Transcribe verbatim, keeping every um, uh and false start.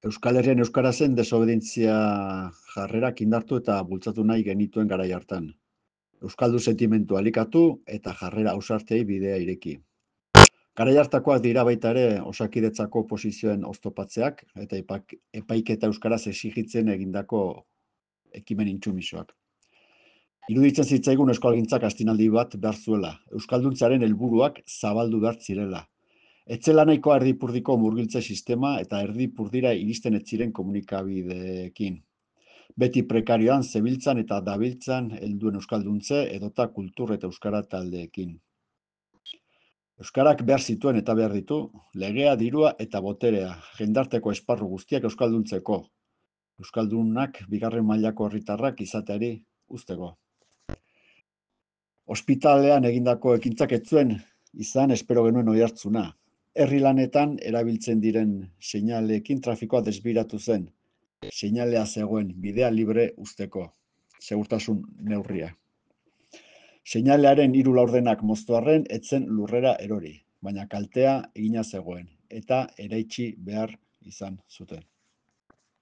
Euskal Herrian euskarazen desobedientzia jarrerak indartu eta bultzatu nahi genituen garai hartan. Euskaldu sentimentu alikatu eta jarrera ausartei bidea ireki. Garai hartakoak dira baita ere Osakidetzako oposizioen oztopatzeak eta epaiketa euskaraz exigitzen egindako ekimen intsumisoak. Iruditzen zitzaigun euskalgintzak astinaldi bat behar zuela, euskalduntzearen helburuak zabaldu behar zirela. Etzela nahikoa erdipurdiko murgiltze sistema eta erdipurdira iristen ez ziren komunikabideekin. Beti prekarioan zebiltzan eta dabiltzan helduen euskalduntze edota kultur eta euskara taldeekin. Euskarak behar zituen eta behar ditu, legea, dirua eta boterea, jendarteko esparru guztiak euskalduntzeko. Euskaldunak bigarren mailako herritarrak izateari uzteko. Ospitalean egindako ekintzak ez zuen izan espero genuen oihartzuna. Herri lanetan erabiltzen diren seinaleekin trafikoa desbiratu zen. Seinalea zegoen bidea libre uzteko, segurtasun neurria. Seinalearen hiru laurdenak moztu arren ez zen lurrera erori, baina kaltea egina zegoen eta eraitsi behar izan zuten.